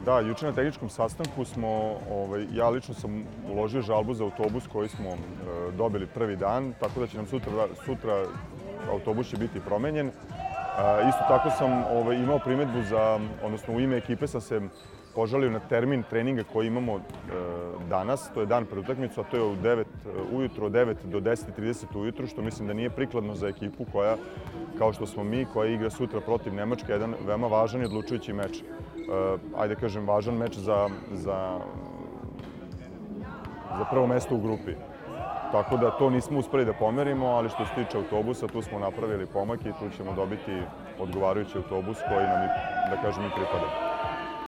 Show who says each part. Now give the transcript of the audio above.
Speaker 1: Da, juče na tehničkom sastanku ja lično sam uložio žalbu za autobus koji smo dobili prvi dan, tako da će nam sutra autobus će biti promenjen. Isto tako sam imao primedbu odnosno u ime ekipe sam se požalio na termin treninga koji imamo danas, to je dan pred utakmicu, a to je ujutro od 9 do 10:30 ujutru, što mislim da nije prikladno za ekipu koja, kao što smo mi, koja igra sutra protiv Nemačke, jedan veoma važan i odlučujući meč. Ajde kažem, važan meč za prvo mesto u grupi. Tako da to nismo uspeli da pomerimo, ali što se tiče autobusa, tu smo napravili pomak i tu ćemo dobiti odgovarajući autobus koji nam, da kažem, i pripada.